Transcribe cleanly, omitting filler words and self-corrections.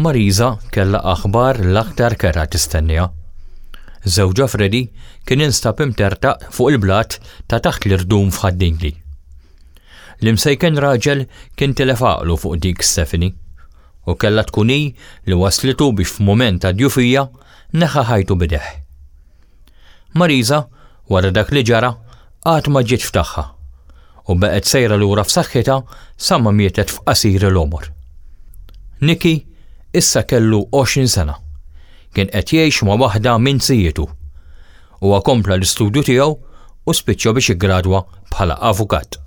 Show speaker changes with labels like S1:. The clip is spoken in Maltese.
S1: Marisa kellha aħbar l-aktar kerha tistenniha. Żewġha Freddie kien instab imtertaq fuq il-blat ta' taħt l-irdum f'Ħad-Dingli. L-imsejken raġel kien tilef għaqlu fuq dik Stephanie u kellha tkun hi li wasslitu biex f'mument ta' djufija neħħa ħajtu b'idejh. Marisa, wara dak li ġara, qatt ma ġiet f'tagħha u beqgħet sejra lura f'saħħitha sa ma mietet f'qasir il-għomor. Nicky issa kellu 20 sena. Kien qed jgħix ma' waħda minn zijietu. Huwa kompla l-istudju tiegħu u spiċċa biex iggradwa bħala avukat.